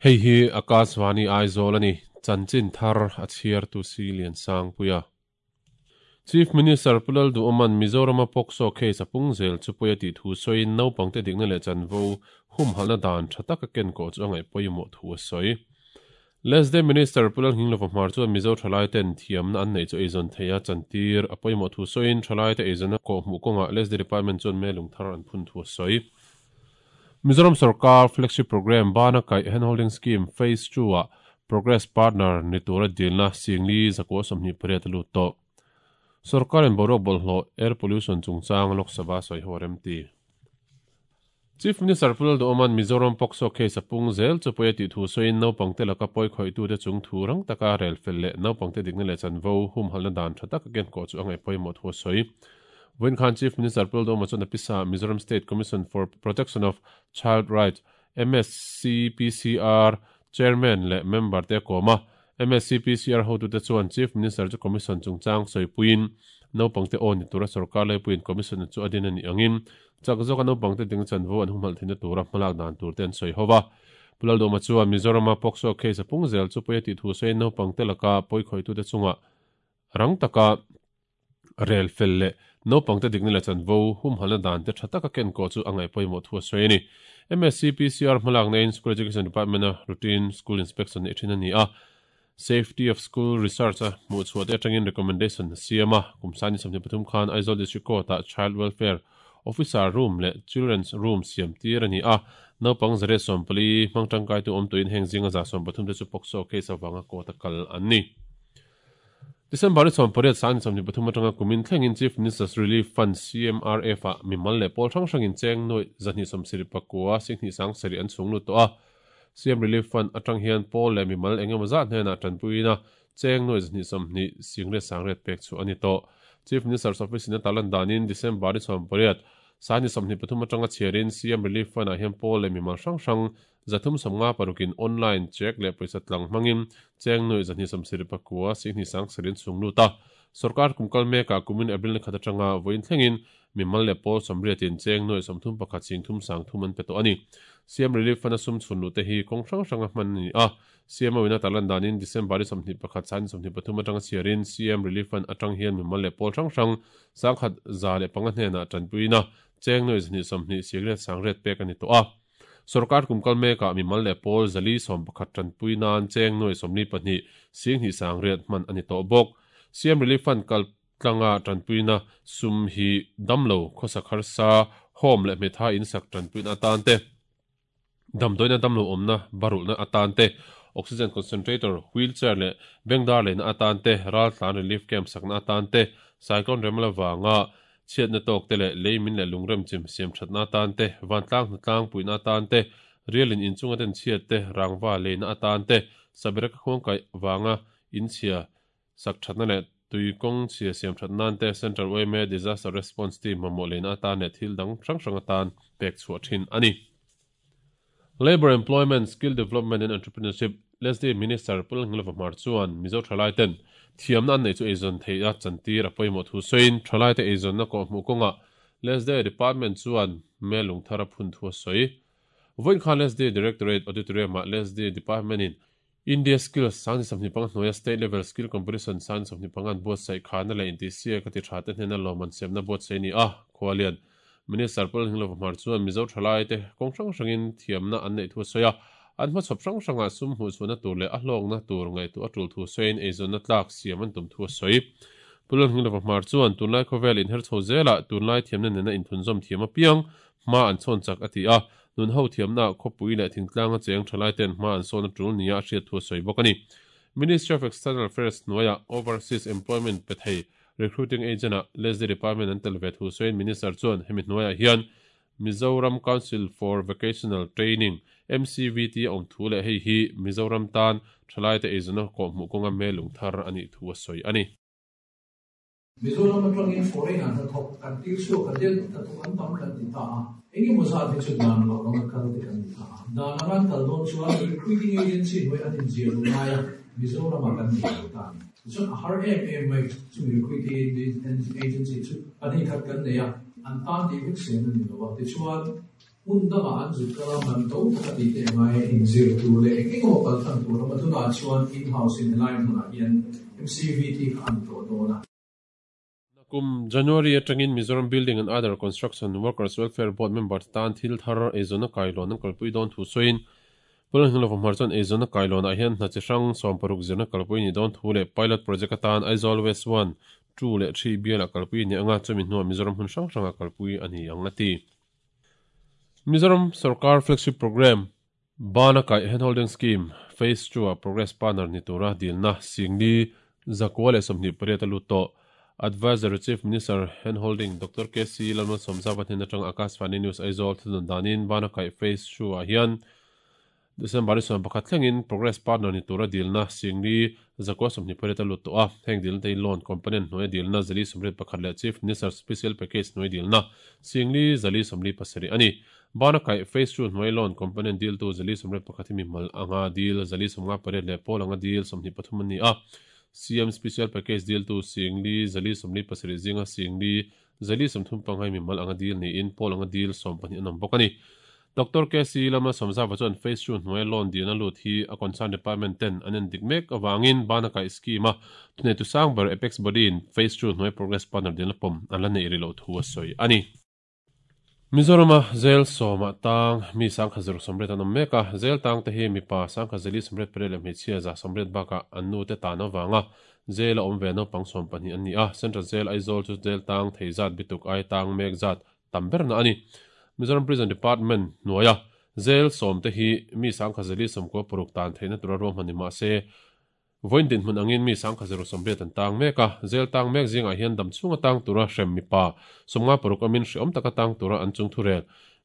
Hei hi Akashvani Aizawl a ni, chanchin thar a chhiartu si Liansangpuia. Chief Minister Pu Lalduhawma'n Mizorama POCSO case a pung zel chu pawi a tih thu sawiin naupangte dikna leh chanvo humhalhna dan tha taka ken kawh chu a ngaih pawimawh thu a sawi. Lesde Minister Pu Lalnghinglova Hmar chuan Mizo thalaiten thiamna an neih chu eizawn theih a chantir a pawimawh thu sawiin thalaite eizawnna kawhhmuh kawngah Lesde Department chuan melung thar an phun thu a sawi. Mizoram sorkar flagship programme bana kaih handholding scheme phase II-ah progress partner ni tura dilna Singli zakua 28 a lut tawh. Sorkarin boruak bawlhhlawh, air pollution, chungchang Lok Sabha sawi ho a remti. Chief Minister Pu Lalduhawma'n Mizoram POCSO case a pung zel chu pawi a tih thu sawiin naupangte laka pawi khawihtute chung thu rang taka rel fel leh naupangte dikna leh chanvo humhalhna dan tha taka kenkawh chu a ngaih pawimawh thu a sawi. Vawiin khan Chief Minister Pu Lalduhawma chuan a pisa Mizoram State Commission for Protection of Child Rights, MSCPCR, Chairman leh member te a kawm a. MSCPCR hotute chuan Chief Minister chu Commission chungchang sawipuiin naupangte aw ni tura sorkar laipuiin Commission chu a din a nih angin chak zawka naupangte ding chanvo an humhalh theihna tura hmalak dan tur te an sawi ho va. Pu Lalduhawma chuan Mizorama POCSO case a pung zel chu pawi a tih thu sawiin naupangte laka pawikhawitute chungah rang taka Rel fel leh naupangte dikna leh chanvo humhalhna dan te tha taka kenkawh chu a ngaih pawimawh thu a sawi a ni. MSCPCR hmalakna in School Education Department-a routine school inspection neih thin a ni a, Safety of School Research a hmuhchhuah te atangin recommendation a siam a. Kum sani 23 khan Aizawl District Court-ah Child Welfare Officer Room leh Children's Room siam tir a ni a, naupang 140 hmang tangkaitu awm tuin heng zinga 130 te chu POCSO case avanga court-a kal an ni. December ni 18 sang ni 23 atanga kumin thlengin Chief Minister's Relief Fund, CMRF, ah mimal leh pawl hrang hrangin cheng nuaih 279 singhnih sang sarih an chhung lut tawh a. CM Relief Fund atang hian pawl leh mimal eng emaw zat hnenah tanpuiin a cheng nuaih 220 singriat sangriat pek chhuah a ni tawh. Chief Minister's Office in a tarlan danin December ni 18 sang ni 23 atanga chhiarin CM Relief Fund ah hian pawl leh mimal hrang hrang 356 in online check leh pawisa tlang hmangin cheng nuaih 279 singhnih sang sarin chhung lut a. Sorkar kum kal mekah kumin April ni khat atanga vawiin thlengin mimal leh pawl 80 in cheng nuaih 31 sing thum sang thum an pe tawh a ni. CM Relief Fund a sum chhun luh te hi kawng hrang hranga hman a ni a. CMO in a tarlan danin December ni 21 sang ni 23 atanga chhiarin CM Relief Fund atang hian mimal leh pawl hrang hrang 105 hnenah tanpuiin a cheng nuaih 220 singriat sangriat pek a ni tawh a. Sorkar kum kal mekah mimal leh pawl 411 tanpui nan cheng nuaih 42 singhnih sangriat hman a ni tawh bawk. CM Relief Fund kal tlanga tanpuina sum hi damlo, khawsak harsa, home leh hmetha insak tanpuina atan te, damdawiina damlo awmna barulhna atan te, oxygen concentrator, wheelchair leh bengdar leina atan te, raltlan relief camp sakna atan te, cyclone remla vanga Chhiatna tawk te leh lei min leh lungrem chim siam thatna atan te, vantlang hnatlang puihna atan te, rialin inchunga ten chhiat te, rangva leina atan te, Sabereka khuangkaih vanga inchhia sak thatna leh tui kawng chhia siam that nan te, Central yma Disaster Response Team mamawh leina atan leh thil dang hrang hrang atan pek chhuah thin a ni. Labour, Employment, Skill Development and Entrepreneurship, LESDE, Minister Pu Lalngilova Hmar chuan Mizo thalai ten thiamna an neih chu eizawn theih a chantir a pawimawh thu sawiin thalai te eizawnna kawhhmuh kawngah LESDE Department chuan hmel lungthar a phun thu a sawi. Vawiin khan LESDE Directorate Auditorium-ah LESDE Department in India Skills 2025 hnuaia State Level Skill Competition 2025 an buatsaih khana leh intihsiak a ti tha te hnena lawmman siamna buatsaih a ni a, Khualian Minister Pu Lalhinglo Hmar chuan Mizo thalaite kawng hrang hrangin thiamna an neih thu a sawi a, an hmachhawp hrang hrangah sum hmuhchhuahna tur leh a hlawkna tur ngaihtuah a tul thu sawiin eizawnna tlak siam an tum thu a sawi. Pu Lalhinglo Hmar chuan tunlai khawvel inher chho zelah tunlai thiamna nena inthunzawm thiam apiang hma an chhawn chak a ti a, nun ho thiamnaah khawpui leh thingtlanga cheng thalaite'n hma an sawn a tul nia a hriat thu a sawi bawk a ni. Ministry of External Affairs hnuaiah Overseas Employment pe thei Recruiting Agent-ah LESDE Department an tel ve thu sawiin Minister chuan hemi hnuaiah hian Mizoram Council for Vocational Training, MCVT, a awm thu leh hei hi Mizoram tan thalaite eizawnna kawhhmuh kawnga hmelung thar a nih thu a sawi a ni. Mizoram atangin foreign ah hnathawk kan tir chhuak a deuh hnathawk an tam kan ti ta a, engemaw zat hi chu dan lo anga kal te kan ni ta a. Dan anga an kal dawn chuan recruiting agency hnuai an inziah luh lai a, Mizoram ah kan nei lo ta a ni. Tichuan a har em em mai, chumi recruiting agency chu pahnih khat kan nei a, an tan tih vek sen a ni lo a. Tichuan hmun dangah an zut kal a, man to taka tih te a ngai a, inzir tur leh eng eng emaw kal tlang tur a awm a, tunah chuan in-house in helai hmunah hian MCVT kha a ni tawh dawn a. Kum January atangin Mizoram Building and Other Construction Workers Welfare Board member te tan thil thar eizawnna kailawn an kalpui dawn thu sawiin Pawleng Hnulova Hmar chuan eizawnna kailawnah hian hna chi hrang 60 zirna kalpui a nih dawn thu leh Pilot Project atan Aizawl West One, Two leh Three bialah kalpui a ni ang a, chumi hnuah Mizoram hmun hrang hrangah kalpui a ni ang a ti. Mizoram Sorkar Flagship Programme Bana kaih Handholding Scheme Phase Two-a Progress Partner ni tura dilna Singli 128 a lut tawh. Advisory Chief Minister Handholding Doctor KC Lalmalsawmzava hnen atanga Akashvani News Aizawl thunun danin Bana kaih Phase Two-ah hian December ni 11 thlengin Progress Partner ni tura dilna Singli 128 a lut tawh a. Heng dilna te hi Loan Component hnuaia dilna 481 leh Chief Minister Special Package hnuai dilna Singli 447 a ni. Bana kaih Phase Two hnuai loan component diltu 401 hi mihmal anga dil 158 leh pawl anga dil 23 an ni a. CM Special Package diltu Singli 477 zinga Singli 435 hi mihmal anga dil niin pawl anga dil 12 an awm bawk a ni. Doctor KC Lama Sawmzava chuan Phase Two hnuaia loan dilna lut hi a concern department ten an endik mek avangin bana kaih scheme a thuneitu sang ber Apex Body in Phase Two hnuai progress partner dilna pawm an la neih rih loh thu a sawi a ni. Mizorama zel sawmah tang mi sangkhat zaruk sawmriat an awm mek a, zel tang te hi mipa sangkhat zali sawmriat pariat leh hmeichhia za sawmriat bakah an nu te tan avanga jail a awm ve naupang sawm pahnih an ni a, Central Jail Aizawl chu jail tang thei zat bituk ai tang mek zat tam berna a ni. Mizoram Prison Department hnuaia jail sawm te hi mi sangkhat zali sawmkua paruk tan theihna tura ruahman ni mahse Vawiin dinhmun angin mi 1028 an tang mek a, jail tang mek zingah hian dam chhunga tang tura hrem mipa 56 awmin hreawm taka tang tura an chung thu rel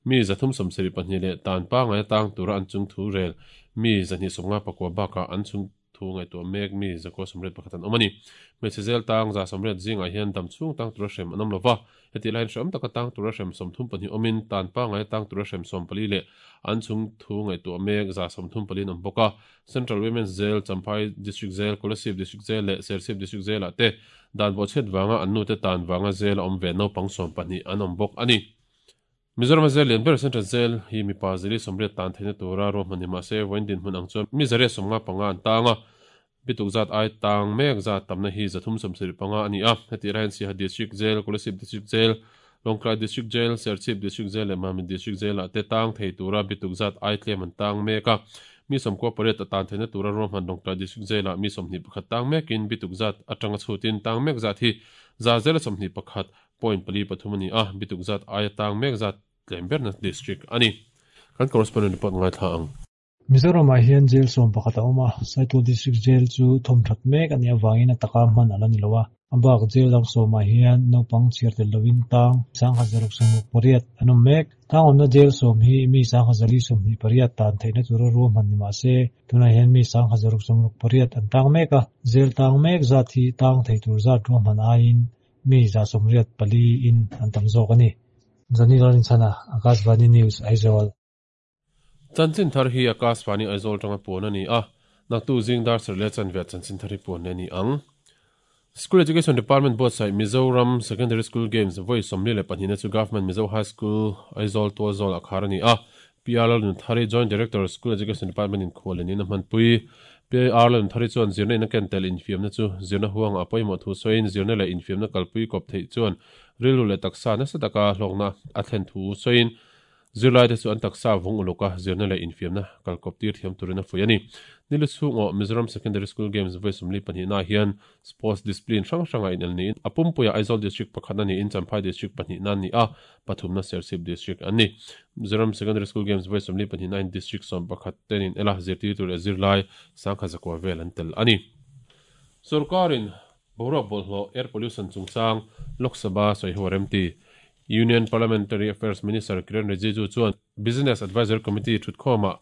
mi 372 leh tan pangaia tang tura an chung thu rel mi 259 bakah an chung thu ngaihtuah mek mi 981 an awm a ni. Hmeichhe jail tang 180 zingah hian dam chhung tang tura hrem an awm lova, Hetih laiin hreawm taka tang tura hrem 32 awmin tan pangaia tang tura hrem 14 leh an chung thu ngaihtuah mek 34 an awm bawk a. Central Women's Jail, Champhai District Jail, Kolasib District Jail leh Serchhip District Jail-ah te dan bawhchhiat vanga an nute tan vanga jail a awm ve naupang 12 an awm bawk a ni. Mizorama jail lian ber Central Jail hi mipa zili 80 tan theihna tura ruahman ni mahse vawiin dinhmun ang chuan mi 155 an tang a, bituk zat ai tang mek zat tamna hi 375 a ni a. Hetih lai hian Siaha District Jail, Kolasib District Jail, Lawngtlai District Jail, Serchhip District Jail leh Mamit District Jail-ah te tang thei tura bituk zat ai tlem an tang mek a. Mi 98 a tan theihna tura ruahman Lawngtlai District Jail-ah mi 21 tang mekin bituk zat atanga chhutin tang mek zat hi 121 point pali pathum a ni a, bituk zat aia tang mek zat tlem berna district a ni. Kan correspondent report ngaithla ang. Mizoramah hian jail 11 a awm a, Saitual District Jail chu thawmthat mek a nih avangin a taka hman a la ni lo a. A bak jail dang sawmah hian naupang chhiar tel lovin tang 1608 an awm mek. Tang awmna jail sawm hi mi 1028 tan theihna tura ruahman ni mah se, tunah hian mi 1668 an tang mek a. Jail tang mek zat hi tang thei tur zat ruahman aiin mi 84 in an tam zawk a ni. Johnny Lalrinchhana, Akashvani News, Aizawl. Chanchin thar hi Akashvani Aizawl tanga puan a ni a, naktu zing dar sarh leh chanve ah chanchin thar hi puan leh a ni ang. School Education Department buatsaih Mizoram Secondary School Games vawi 42 na chu Government Mizo High School, Aizawl Tualzawl ah khar a ni a. PR Lalnunthari, Joint Director, School Education Department in khual lenin a hmanpui. PR Lalnunthari chuan zirna in a ken tel infiamna chu zirna huangah a pawimawh thu sawiin zirna leh infiamna kalpui kawp theih chuan rilru leh taksa nasa taka hlawkna a thlen thu sawiin Zirlaite chu an taksa vung uluk a, zirna leh infiamna kalkawp tir thiam turin a fuih a ni. Nilu chhung aw Mizoram Secondary School Games vawi 42 naah hian Sports discipline hrang hrangah inel niin a pumpuiah Aizawl District pakhatna niin Champhai District pahnihna an ni a, pathumna Serchhip District an ni. Mizoram Secondary School Games vawi 42 nain District 11 ten inel a, zirtirtu leh zirlai 10,900 vel an tel a ni. Sorkarin boruak bawlhhlawh, air pollution, chungchang Lok Sabha sawiho a remti. Union Parliamentary Affairs Minister Kiren Rijiju chuan Business Advisory Committee thutkhawmah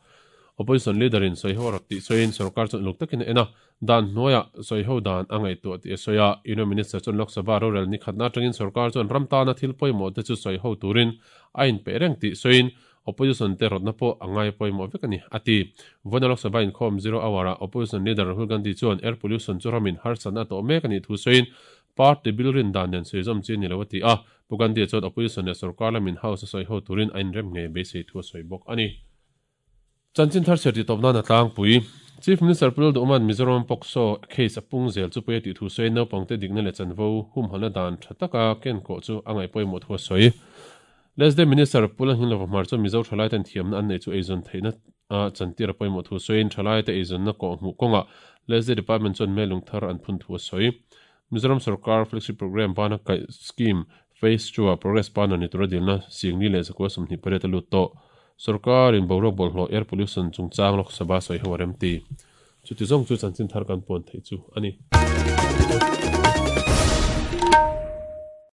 Opposition Leader in sawiho a rawt tih sawiin sorkar chuan uluk takin a en a, dan hnuaiah sawiho dan a ngaihtuah tih a sawi a. Union Minister chuan Lok Sabha rorel ni khatna atangin sorkar chuan ram tana thil pawimawh te chu sawiho turin a inpeih reng tih sawiin Opposition te rawtna pawh a ngai pawimawh vek a ni, a ti. Vawiina Lok Sabha inkhawm Zero Hour-ah Opposition Leader Rahul Gandhi chuan air pollution chu ramin harsatna a tawh mek a nih thu sawiin party bill rin dan nen sawi zawm chi a ni lo a ti a. Pu Gandhi-a chuan Opposition leh sorkar lamin House a sawi ho turin a inrem ngei beisei thu a sawi bawk a ni. Chanchin thar chhiar tih tawp nan a tlangpui. Chief Minister Pu Lalduhman Mizoram POCSO case a pung zel chu pawi a tih thu sawiin naupangte dikna leh chanvo humhalna dan tha taka kenkawh chu a ngaih pawimawh thu a sawi. LSD Minister Pu Lalnghinglova Hmar chuan Mizo thalaiten thiamna an neih chu eizawn theihna a chantir a pawimawh thu sawiin thalaite eizawnna kawhhmuh kawngah LSD Department chuan melung thar an phun thu a sawi. Mizoram sorkar Flagship Programme bana kaih scheme Phase 2 ah progress partner ni tura dilna Singli leh Zakua 28 a lut tawh. Sorkarin boruak bawlhhlawh air pollution chungchang Lok Sabha sawi ho a remti. Chuti zawng chu chanchin thar kan puan theih chu a ni.